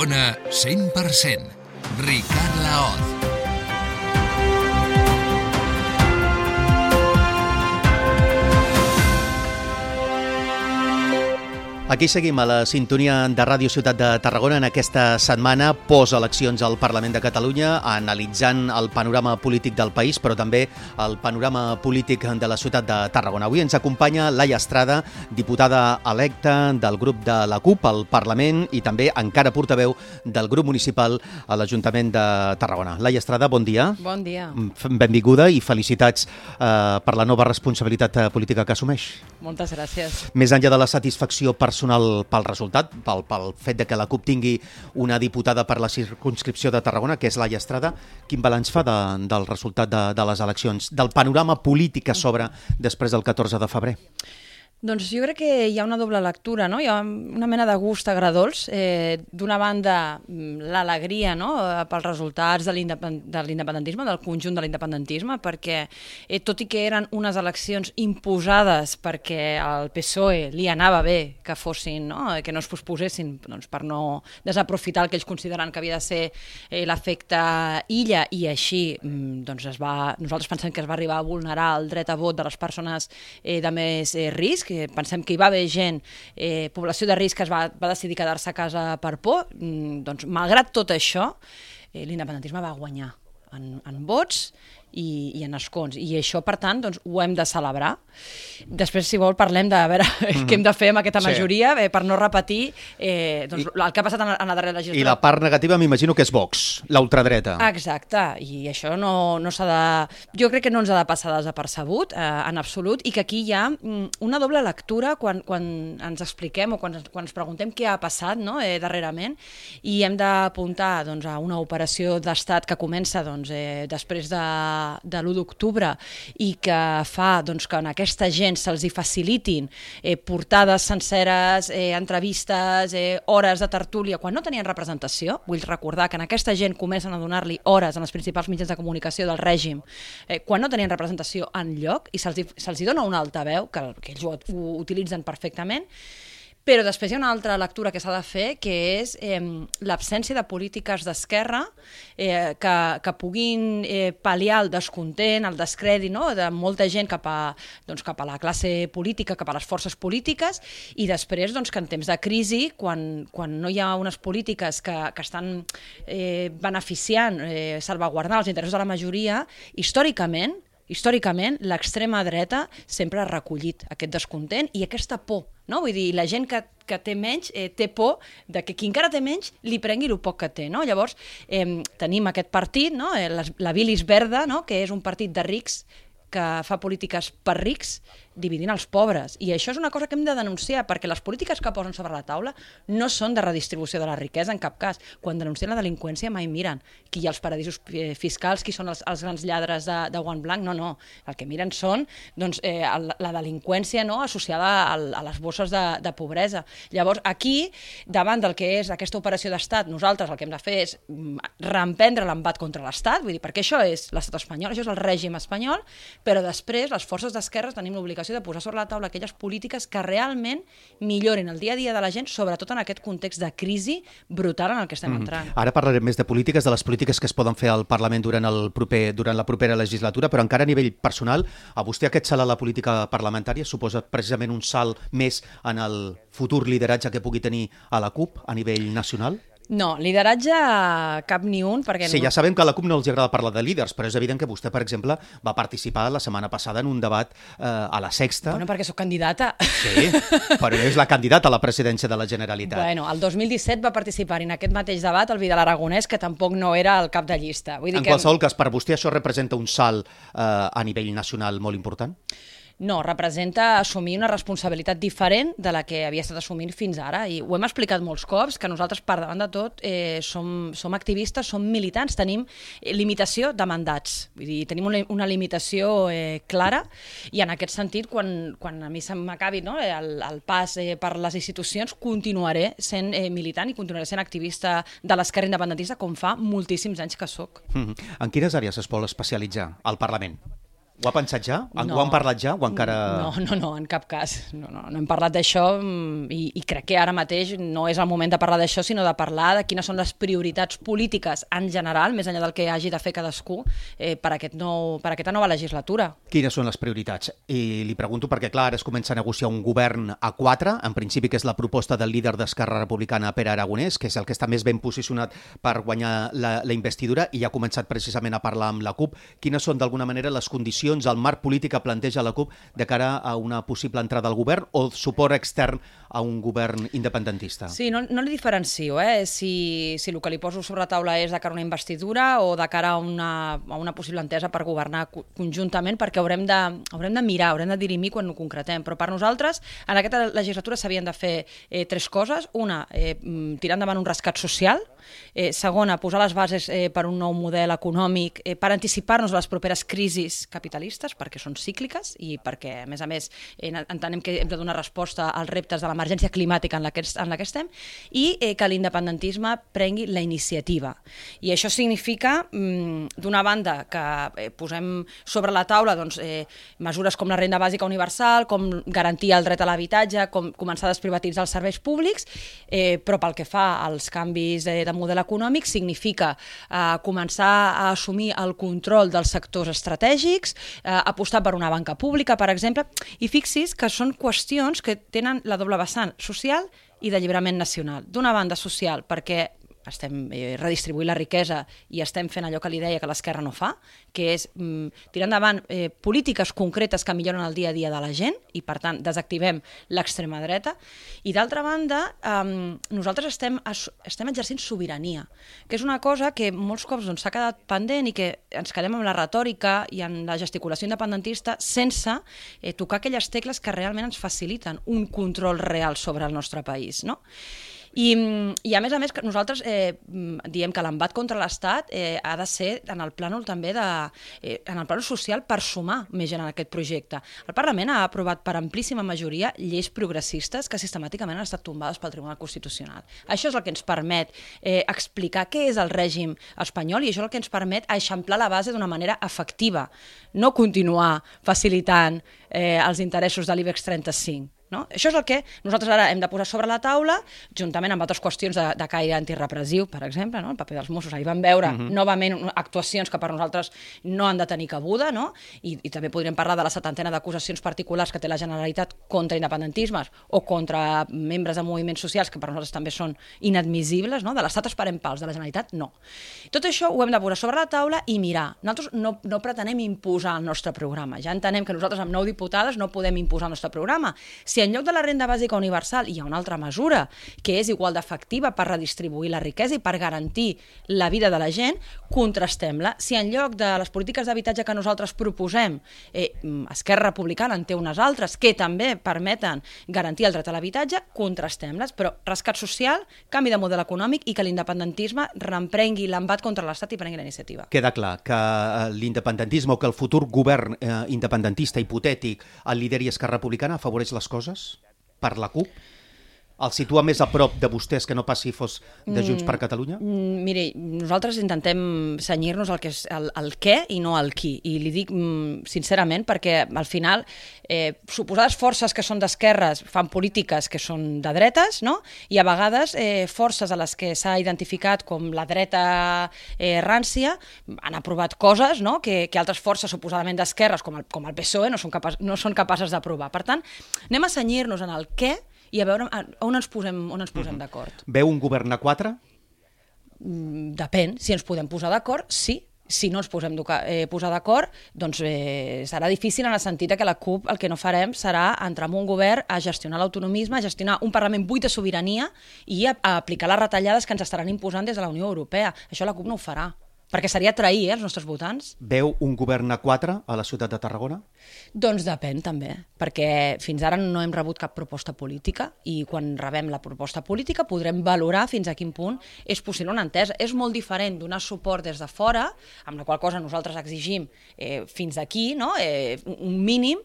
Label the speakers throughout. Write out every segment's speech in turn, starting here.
Speaker 1: Tarragona 100%. Ricard Laoz.
Speaker 2: Aquí seguim a la sintonia de Ràdio Ciutat de Tarragona en aquesta setmana post-eleccions al Parlament de Catalunya, analitzant el panorama polític del país, però també el panorama polític de la ciutat de Tarragona. Avui ens acompanya Laia Estrada, diputada electa del grup de la CUP al Parlament i també encara portaveu del grup municipal a l'Ajuntament de Tarragona. Laia Estrada, bon dia.
Speaker 3: Bon dia.
Speaker 2: Benvinguda i felicitats per la nova responsabilitat política que assumeix.
Speaker 3: Moltes gràcies.
Speaker 2: Més enllà de la satisfacció personal pel resultat, pel fet de que la CUP tingui una diputada per la circumscripció de Tarragona, que és Laia Estrada, quin balanç fa del resultat de les eleccions, del panorama polític que s'obre després del 14 de febrer?
Speaker 3: Doncs jo crec que hi ha una doble lectura, no? Hi ha una mena de gust agredolç. D'una banda, l'alegria, no?, pels resultats de l'independentisme, del conjunt de l'independentisme, perquè tot i que eren unes eleccions imposades perquè al PSOE li anava bé que fossin, no?, que no es posposessin, doncs, per no desaprofitar el que ells consideren que havia de ser l'efecte illa, i així doncs nosaltres pensem que es va arribar a vulnerar el dret a vot de les persones de més risc, que pensem que hi va haver gent, població de risc, que va decidir quedar-se a casa per por. Doncs, malgrat tot això, l'independentisme va guanyar en vots i en escons. I això, per tant, doncs, ho hem de celebrar. Després, si vol, parlem de veure què hem de fer amb aquesta majoria per no repetir doncs, el que ha passat en la darrera legislatura.
Speaker 2: I la part negativa m'imagino que és Vox, la ultradreta.
Speaker 3: Exacte, i això no s'ha de... Jo crec que no ens ha de passar desapercebut, en absolut, i que aquí hi ha una doble lectura quan ens expliquem o quan ens preguntem què ha passat, no?, darrerament, i hem d'apuntar, doncs, a una operació d'estat que comença, doncs, després de l'1 d'octubre i que fa, doncs, que en aquesta gent se'ls hi facilitin portades senceres, entrevistes, hores de tertúlia, quan no tenien representació. Vull recordar que en aquesta gent comencen a donar-li hores en els principals mitjans de comunicació del règim, quan no tenien representació enlloc, i se'ls hi dona un altaveu, que ells ho utilitzen perfectament. Però després hi ha una altra lectura que s'ha de fer, que és l'absència de polítiques d'esquerra que puguin pal·liar el descontent, el descrèdit, no?, de molta gent cap a la classe política, cap a les forces polítiques, i després, doncs, que en temps de crisi, quan no hi ha unes polítiques que estan beneficiant, salvaguardant els interessos de la majoria, històricament, l'extrema dreta sempre ha recollit aquest descontent i aquesta por, no? Vull dir, la gent que té menys té por de que qui encara té menys li prengui el poc que té, no? Llavors, tenim aquest partit, no?, la Bilis Verda, no?, que és un partit de rics que fa polítiques per rics dividint els pobres. I això és una cosa que hem de denunciar, perquè les polítiques que posen sobre la taula no són de redistribució de la riquesa en cap cas. Quan denuncien la delinqüència mai miren qui hi ha als paradisos fiscals, qui són els grans lladres de guant blanc. No. El que miren són, doncs, la delinqüència, no?, associada a les bosses de pobresa. Llavors, aquí, davant del que és aquesta operació d'estat, nosaltres el que hem de fer és reemprendre l'embat contra l'estat, vull dir, perquè això és l'estat espanyol, això és el règim espanyol, però després les forces d'esquerres tenim l'obligació de posar sobre la taula aquelles polítiques que realment millorin el dia a dia de la gent, sobretot en aquest context de crisi brutal en el que estem entrant.
Speaker 2: Ara parlarem més de polítiques, de les polítiques que es poden fer al Parlament durant la propera legislatura, però encara a nivell personal, a vostè aquest salt a la política parlamentària suposa precisament un salt més en el futur lideratge que pugui tenir a la CUP a nivell nacional?
Speaker 3: No, lideratge cap ni un, perquè...
Speaker 2: Sí, ja sabem que a la CUP no els agrada parlar de líders, però és evident que vostè, per exemple, va participar la setmana passada en un debat a la Sexta.
Speaker 3: Bueno, perquè sóc candidata.
Speaker 2: Sí, però és la candidata a la presidència de la Generalitat.
Speaker 3: Bueno, el 2017 va participar en aquest mateix debat el Vidal Aragonès, que tampoc no era el cap de llista. Vull dir
Speaker 2: en qualsevol cas, per vostè això representa un salt a nivell nacional molt important?
Speaker 3: No, representa assumir una responsabilitat diferent de la que havia estat assumint fins ara, i ho hem explicat molts cops, que nosaltres, per davant de tot, som activistes, som militants, tenim limitació de mandats, vull dir, tenim una limitació clara, i en aquest sentit, quan a mi se m'acabi, no, el pas per les institucions, continuaré sent militant i continuaré sent activista de l'esquerra independentista, com fa moltíssims anys que soc.
Speaker 2: En quines àrees es vol especialitzar al Parlament? Ho ha pensat ja?
Speaker 3: No.
Speaker 2: Ho han parlat ja? O encara...
Speaker 3: No, en cap cas. No hem parlat d'això i crec que ara mateix no és el moment de parlar d'això, sinó de parlar de quines són les prioritats polítiques en general, més enllà del que hagi de fer cadascú, per aquesta nova legislatura.
Speaker 2: Quines són les prioritats? I li pregunto perquè, clar, ara es comença a negociar un govern a 4, en principi que és la proposta del líder d'Esquerra Republicana, Pere Aragonès, que és el que està més ben posicionat per guanyar la investidura, i ha començat precisament a parlar amb la CUP. Quines són, d'alguna manera, les condicions, el marc polític que planteja la CUP de cara a una possible entrada al govern o suport extern a un govern independentista?
Speaker 3: Sí, no li diferencio, si el que li poso sobre la taula és de cara a una investidura o de cara a una possible entesa per governar conjuntament, perquè haurem de mirar, haurem de dirimir quan ho concretem. Però per nosaltres, en aquesta legislatura s'havien de fer 3 coses. Una, tirar endavant un rescat social. Segona, posar les bases per un nou model econòmic, per anticipar-nos a les properes crisis capitalistes, perquè són cícliques i perquè, a més, entenem que hem de donar resposta als reptes de l'emergència climàtica en la que estem, i que l'independentisme prengui la iniciativa. I això significa, d'una banda, que posem sobre la taula mesures com la renda bàsica universal, com garantir el dret a l'habitatge, com començar a desprivatitzar els serveis públics, però pel que fa als canvis de model econòmic significa començar a assumir el control dels sectors estratègics, apostar per una banca pública, per exemple, i fixi's que són qüestions que tenen la doble vessant social i d'alliberament nacional. D'una banda social, perquè estem redistribuint la riquesa i estem fent allò que li deia que l'esquerra no fa, que és tirar endavant polítiques concretes que milloren el dia a dia de la gent i, per tant, desactivem l'extrema dreta. I, d'altra banda, nosaltres estem exercint sobirania, que és una cosa que molts cops s'ha quedat pendent i que ens quedem amb la retòrica i en la gesticulació independentista sense tocar aquelles tecles que realment ens faciliten un control real sobre el nostre país, no? I a més, nosaltres diem que l'embat contra l'Estat ha de ser en el plànol també en el plànol social per sumar més gent en aquest projecte. El Parlament ha aprovat per amplíssima majoria lleis progressistes que sistemàticament han estat tombades pel Tribunal Constitucional. Això és el que ens permet explicar què és el règim espanyol i això és el que ens permet eixamplar la base d'una manera efectiva, no continuar facilitant els interessos de l'IBEX 35. No? Això és el que nosaltres ara hem de posar sobre la taula, juntament amb altres qüestions de caire antirepressiu, per exemple, no? El paper dels Mossos. Ahir vam veure novament actuacions que per nosaltres no han de tenir cabuda, no? I també podríem parlar de la 70ena d'acusacions particulars que té la Generalitat contra independentismes o contra membres de moviments socials que per nosaltres també són inadmissibles, no? De l'Estat esperem pals, de la Generalitat no. Tot això ho hem de posar sobre la taula i mirar. Nosaltres no pretenem imposar el nostre programa. Ja entenem que nosaltres amb 9 diputades no podem imposar el nostre programa. Si en lloc de la renda bàsica universal hi ha una altra mesura que és igual d'efectiva per redistribuir la riquesa i per garantir la vida de la gent, contrastem-la. Si en lloc de les polítiques d'habitatge que nosaltres proposem, Esquerra Republicana en té unes altres que també permeten garantir el dret a l'habitatge, contrastem-les. Però rescat social, canvi de model econòmic i que l'independentisme reemprengui l'embat contra l'Estat i prengui la iniciativa.
Speaker 2: Queda clar que l'independentisme o que el futur govern independentista hipotètic el lideri Esquerra Republicana afavoreix les coses? Per la CUP? El situa més a prop de vostès que no pas si fos de Junts per Catalunya?
Speaker 3: Miri, nosaltres intentem cenyir-nos al que és el què i no al qui. I li dic sincerament perquè al final suposades forces que són d'esquerres fan polítiques que són de dretes, no? I a vegades forces a les que s'ha identificat com la dreta rància han aprovat coses, no? que altres forces suposadament d'esquerres com el PSOE no són capaces d'aprovar. Per tant, anem a cenyir-nos en el què i a veure on ens posem d'acord.
Speaker 2: Veu un govern a 4?
Speaker 3: Depèn. Si ens podem posar d'acord, sí. Si no ens podem posar d'acord, doncs serà difícil en el sentit que la CUP el que no farem serà entrar en un govern a gestionar l'autonomisme, a gestionar un Parlament buit de sobirania i a aplicar les retallades que ens estaran imposant des de la Unió Europea. Això la CUP no ho farà. Perquè seria trair els nostres votants.
Speaker 2: Veu un govern a 4 a la ciutat de Tarragona?
Speaker 3: Doncs depèn també, perquè fins ara no hem rebut cap proposta política i quan rebem la proposta política podrem valorar fins a quin punt és possible una entesa. És molt diferent donar suport des de fora, amb la qual cosa nosaltres exigim fins aquí, no? Un mínim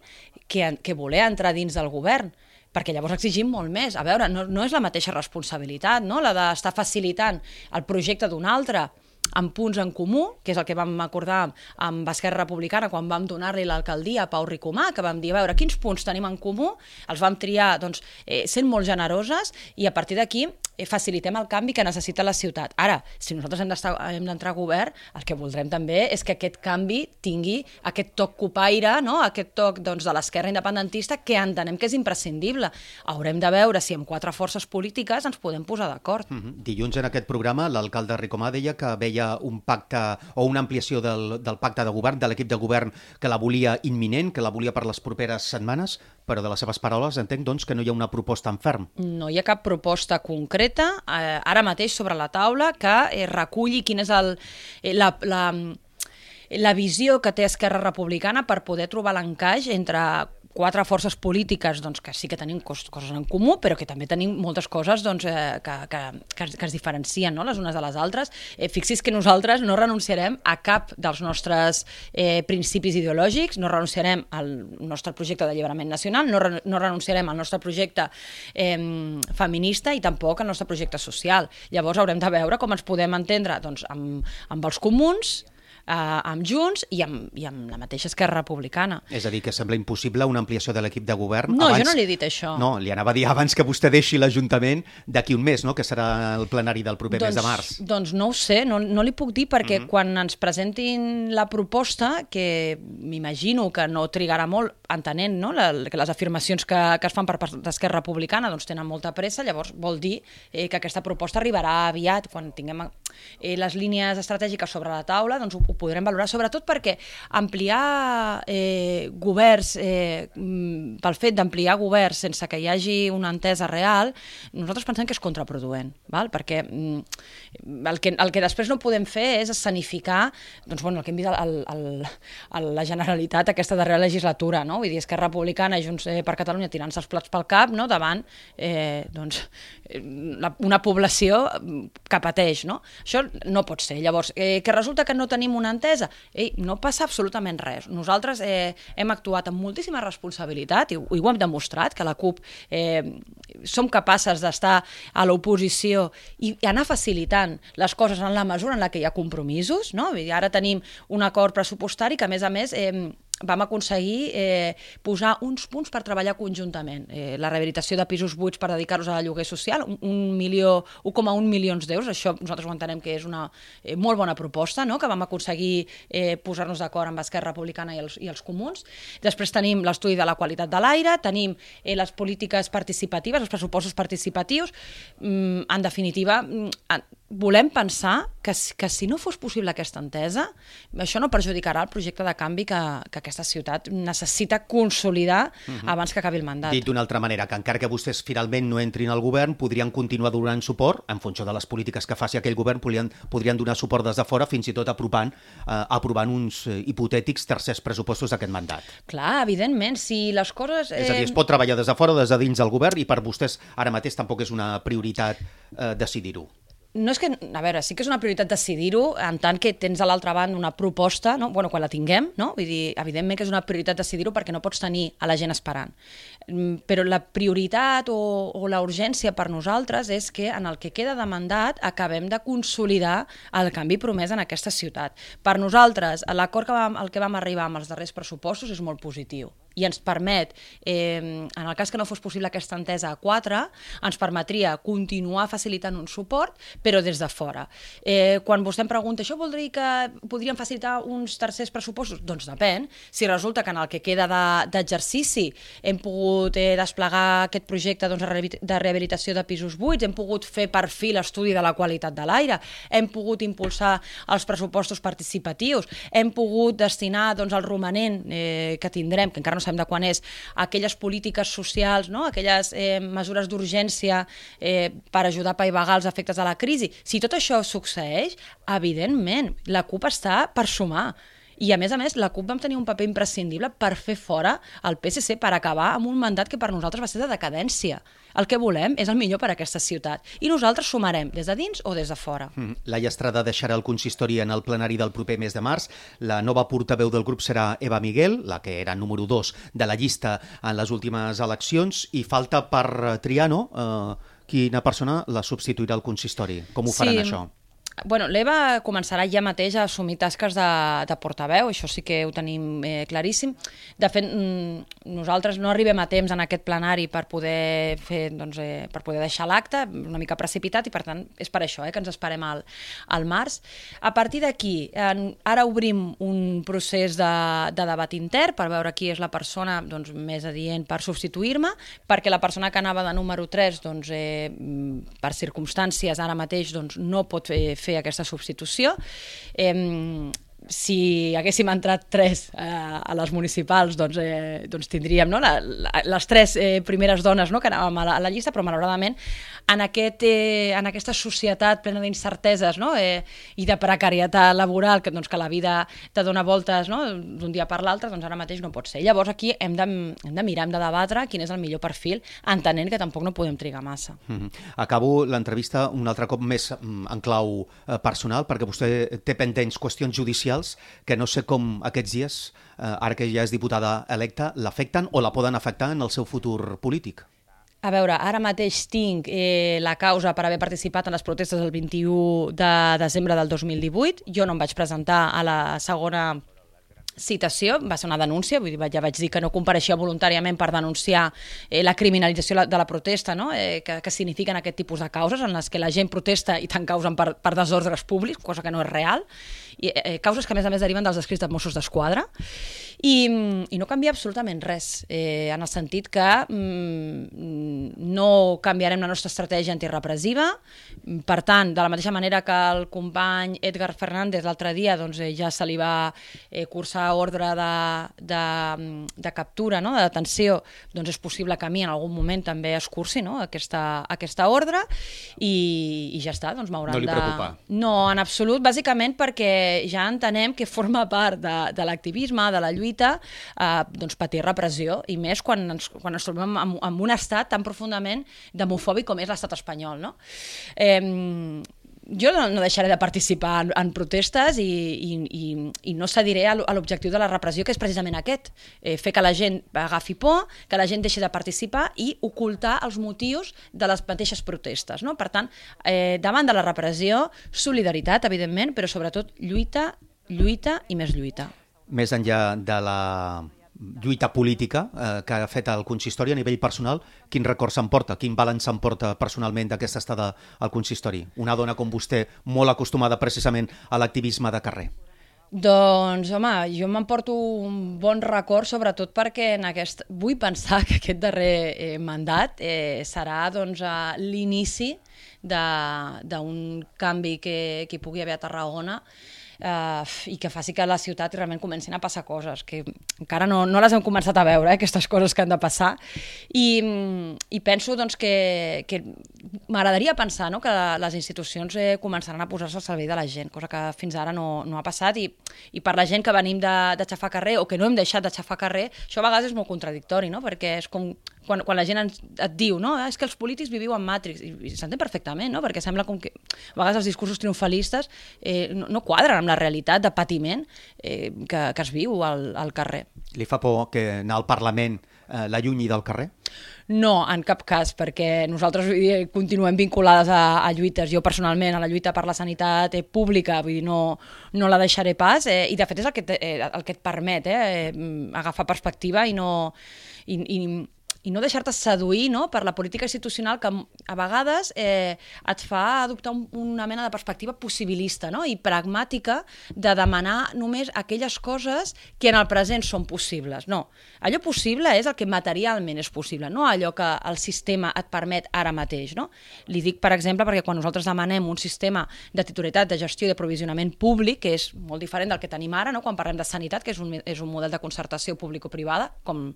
Speaker 3: que voler entrar dins del govern, perquè llavors exigim molt més. A veure, no és la mateixa responsabilitat, no? La d'estar facilitant el projecte d'un altre amb punts en comú, que és el que vam acordar amb Esquerra Republicana quan vam donar-li l'alcaldia a Pau Ricomà, que vam dir, a veure, quins punts tenim en comú, els vam triar doncs, sent molt generoses i a partir d'aquí facilitem el canvi que necessita la ciutat. Ara, si nosaltres hem d'entrar a govern, el que voldrem també és que aquest canvi tingui aquest toc copaire, no? Aquest toc doncs, de l'esquerra independentista que entenem que és imprescindible. Haurem de veure si amb 4 forces polítiques ens podem posar d'acord.
Speaker 2: Dilluns en aquest programa l'alcalde Ricomà deia que veia un pacte o una ampliació del pacte de govern, de l'equip de govern, que la volia imminent, que la volia per les properes setmanes, però de les seves paraules entenc doncs, que no hi ha una proposta en ferm.
Speaker 3: No hi ha cap proposta concreta ara mateix sobre la taula que reculli quina és la visió que té Esquerra Republicana per poder trobar l'encaix entre 4 forces polítiques doncs, que sí que tenim coses en comú, però que també tenim moltes coses doncs, que es diferencien, no? Les unes de les altres. Fixi's que nosaltres no renunciarem a cap dels nostres principis ideològics, no renunciarem al nostre projecte d'alliberament nacional, no renunciarem al nostre projecte feminista i tampoc al nostre projecte social. Llavors haurem de veure com ens podem entendre doncs, amb els comuns, amb Junts i amb la mateixa Esquerra Republicana.
Speaker 2: És a dir, que sembla impossible una ampliació de l'equip de govern.
Speaker 3: No, jo no li he dit això.
Speaker 2: No, li anava a dir abans que vostè deixi l'Ajuntament d'aquí un mes, no? Que serà el plenari del proper mes de març.
Speaker 3: Doncs no ho sé, no li puc dir perquè quan ens presentin la proposta, que m'imagino que no trigarà molt entenent, no? Que les afirmacions que es fan per part d'Esquerra Republicana doncs tenen molta pressa, llavors vol dir que aquesta proposta arribarà aviat. Quan tinguem les línies estratègiques sobre la taula, doncs ho podrem valorar, sobretot perquè ampliar governs, pel fet d'ampliar governs sense que hi hagi una entesa real, nosaltres pensem que és contraproduent, val? Perquè el que després no podem fer és escenificar doncs, bueno, el que hem vist a la Generalitat aquesta darrera legislatura, no? Vull dir, Esquerra Republicana i Junts per Catalunya tirant-se els plats pel cap, no? Davant doncs, una població que pateix, no? Això no pot ser. Llavors, que resulta que no tenim una entesa, no passa absolutament res. Nosaltres hem actuat amb moltíssima responsabilitat i ho hem demostrat, que la CUP som capaces d'estar a l'oposició i anar facilitant les coses en la mesura en la que hi ha compromisos, no? Ara tenim un acord pressupostari que, a més, vam aconseguir posar uns punts per treballar conjuntament. La rehabilitació de pisos buits per dedicar-los a lloguer social, 1,1 milions d'euros, això nosaltres ho entenem que és una molt bona proposta, no? Que vam aconseguir posar-nos d'acord amb Esquerra Republicana i els comuns. Després tenim l'estudi de la qualitat de l'aire, tenim les polítiques participatives, els pressupostos participatius. En definitiva, volem pensar que si no fos possible aquesta entesa, això no perjudicarà el projecte de canvi que aquesta ciutat necessita consolidar abans que acabi el mandat.
Speaker 2: Dit d'una altra manera, que encara que vostès finalment no entrin al govern, podrien continuar donant suport, en funció de les polítiques que faci aquell govern, podrien donar suport des de fora, fins i tot aprovant uns hipotètics tercers pressupostos d'aquest mandat.
Speaker 3: Clar, evidentment, si les coses...
Speaker 2: És a dir, es pot treballar des de fora o des de dins del govern i per vostès ara mateix tampoc és una prioritat decidir-ho.
Speaker 3: No és que, a veure, sí que és una prioritat decidir-ho en tant que tens a l'altra banda una proposta, no? Bueno, quan la tinguem, no? Vull dir, evidentment que és una prioritat decidir-ho perquè no pots tenir a la gent esperant. Però la prioritat o la urgència per nosaltres és que en el que queda de mandat acabem de consolidar el canvi promès en aquesta ciutat. Per nosaltres, l'acord al que vam arribar amb els darrers pressupostos és molt positiu i ens permet, en el cas que no fos possible aquesta entesa a 4, ens permetria continuar facilitant un suport, però des de fora. Quan vostè em pregunta, això vol dir que podríem facilitar uns tercers pressupostos? Doncs depèn. Si resulta que en el que queda d'exercici hem pogut desplegar aquest projecte de rehabilitació de pisos buits, hem pogut fer per fi l'estudi de la qualitat de l'aire, hem pogut impulsar els pressupostos participatius, hem pogut destinar el romanent que tindrem, que encara no sabem de quan és, aquelles polítiques socials, no? Aquelles mesures d'urgència per ajudar a apaivagar els efectes de la crisi. Si tot això succeeix, evidentment, la CUP està per sumar. I, a més, la CUP vam tenir un paper imprescindible per fer fora el PSC, per acabar amb un mandat que per nosaltres va ser de decadència. El que volem és el millor per a aquesta ciutat. I nosaltres sumarem des de dins o des de fora.
Speaker 2: Laia Estrada deixarà el consistori en el plenari del proper mes de març. La nova portaveu del grup serà Eva Miguel, la que era número 2 de la llista en les últimes eleccions, i falta per triar, no? Quina persona la substituirà al consistori? Com ho faran, això?
Speaker 3: l'Eva començarà ja mateix a assumir tasques de portaveu, això sí que ho tenim claríssim. De fet, nosaltres no arribem a temps en aquest plenari per poder per poder deixar l'acte, una mica precipitat, i per tant és per això que ens esperem al març. A partir d'aquí, ara obrim un procés de debat intern per veure qui és la persona més adient per substituir-me, perquè la persona que anava de número 3, per circumstàncies ara mateix no pot fer aquesta substitució. Si haguéssim entrat 3 a les municipals, tindríem les 3 primeres dones que anàvem a la llista, però malauradament en aquesta societat plena d'incerteses i de precarietat laboral, que la vida te dona voltes d'un dia per l'altre, ara mateix no pot ser. Llavors aquí hem de mirar, hem de debatre quin és el millor perfil, entenent que tampoc no podem trigar massa.
Speaker 2: Acabo l'entrevista un altre cop més en clau personal, perquè vostè té pendents qüestions judicials que no sé com aquests dies, ara que ja és diputada electa, l'afecten o la poden afectar en el seu futur polític.
Speaker 3: A veure, ara mateix tinc la causa per haver participat en les protestes el 21 de desembre del 2018. Jo no em vaig presentar a la segona citació, va ser una denúncia, ja vaig dir que no compareixia voluntàriament per denunciar la criminalització de la protesta, que signifiquen aquest tipus de causes en les que la gent protesta i tant causen per desordres públics, cosa que no és real, i causes que a més deriven dels escrits de Mossos d'Esquadra, i no canvia absolutament res, en el sentit que no canviarem la nostra estratègia antirepressiva. Per tant, de la mateixa manera que el company Edgar Fernández l'altre dia ja se li va cursar ordre de captura, de detenció, és possible que a mi en algun moment també es cursi aquesta ordre, i ja està, m'hauran de...
Speaker 2: No li preocupa?
Speaker 3: No, en absolut, bàsicament perquè ja entenem que forma part de l'activisme, de la lluita, patir repressió, i més quan ens trobem en un estat tan profundament demofòbic com és l'estat espanyol, Jo no deixaré de participar en protestes i no cediré a l'objectiu de la repressió, que és precisament aquest, fer que la gent agafi por, que la gent deixi de participar i ocultar els motius de les mateixes protestes. Per tant, davant de la repressió, solidaritat, evidentment, però sobretot lluita i més lluita.
Speaker 2: Més enllà de la lluita política que ha fet el consistori a nivell personal, quin record s'emporta, quin balanç s'emporta personalment d'aquesta estada al consistori? Una dona com vostè, molt acostumada precisament a l'activisme de carrer.
Speaker 3: Doncs, home, jo m'emporto un bon record, sobretot perquè vull pensar que aquest darrer mandat serà l'inici d'un canvi que hi pugui haver a Tarragona, i que faci que a la ciutat realment comencin a passar coses, que encara no les hem començat a veure, aquestes coses que han de passar, i penso que m'agradaria pensar que les institucions començaran a posar-se al servei de la gent, cosa que fins ara no ha passat, i per la gent que venim de xafar carrer o que no hem deixat de xafar carrer, això a vegades és molt contradictori, perquè és com quan la gent et diu és que els polítics viviu en Matrix, i s'entén perfectament, perquè sembla com que a vegades els discursos triomfalistes no quadren amb la realitat de patiment que es viu al carrer.
Speaker 2: Li fa por que anar al Parlament l'allunyi del carrer?
Speaker 3: No, en cap cas, perquè nosaltres continuem vinculades a lluites. Jo personalment a la lluita per la sanitat pública, vull dir, no la deixaré pas, i de fet és el que et permet agafar perspectiva i no deixar-te seduir per la política institucional, que a vegades et fa adoptar una mena de perspectiva possibilista i pragmàtica de demanar només aquelles coses que en el present són possibles. No, allò possible és el que materialment és possible, no allò que el sistema et permet ara mateix. Li dic, per exemple, perquè quan nosaltres demanem un sistema de titularitat, de gestió i de provisionament públic, que és molt diferent del que tenim ara, quan parlem de sanitat, que és un model de concertació público-privada, com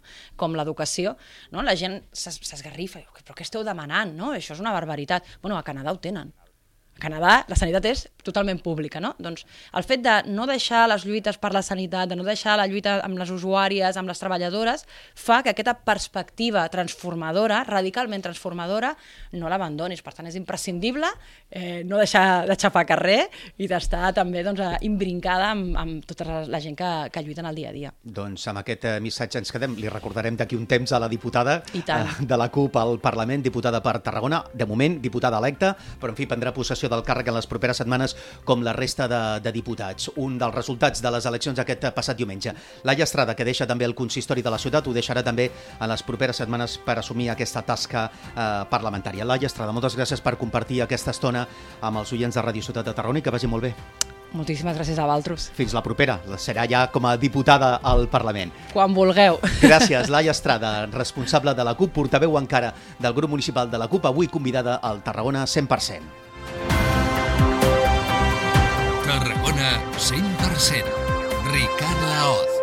Speaker 3: l'educació, la gent s'esgarrifa, però què esteu demanant? Això és una barbaritat. A Canadà ho tenen. A Canadà la sanitat és totalment pública, Doncs el fet de no deixar les lluites per la sanitat, de no deixar la lluita amb les usuàries, amb les treballadores, fa que aquesta perspectiva transformadora, radicalment transformadora, no l'abandonis. Per tant, és imprescindible no deixar de xafar carrer i d'estar també imbrincada amb tota la gent que lluiten al dia a dia.
Speaker 2: Doncs amb aquest missatge ens quedem. Li recordarem d'aquí un temps a la diputada de la CUP al Parlament, diputada per Tarragona, de moment diputada electa, però en fi, prendrà possessió destitució del càrrec en les properes setmanes com la resta de diputats. Un dels resultats de les eleccions aquest passat diumenge. Laia Estrada, que deixa també el consistori de la ciutat, ho deixarà també en les properes setmanes per assumir aquesta tasca parlamentària. Laia Estrada, moltes gràcies per compartir aquesta estona amb els oients de Ràdio Ciutat de Tarragona i que vagi molt bé.
Speaker 3: Moltíssimes gràcies a vosaltres.
Speaker 2: Fins la propera. Serà ja com a diputada al Parlament.
Speaker 3: Quan vulgueu.
Speaker 2: Gràcies, Laia Estrada, responsable de la CUP, portaveu encara del grup municipal de la CUP, avui convidada al Tarragona 100%.
Speaker 1: Tarragona 100%. Ricard Laoz.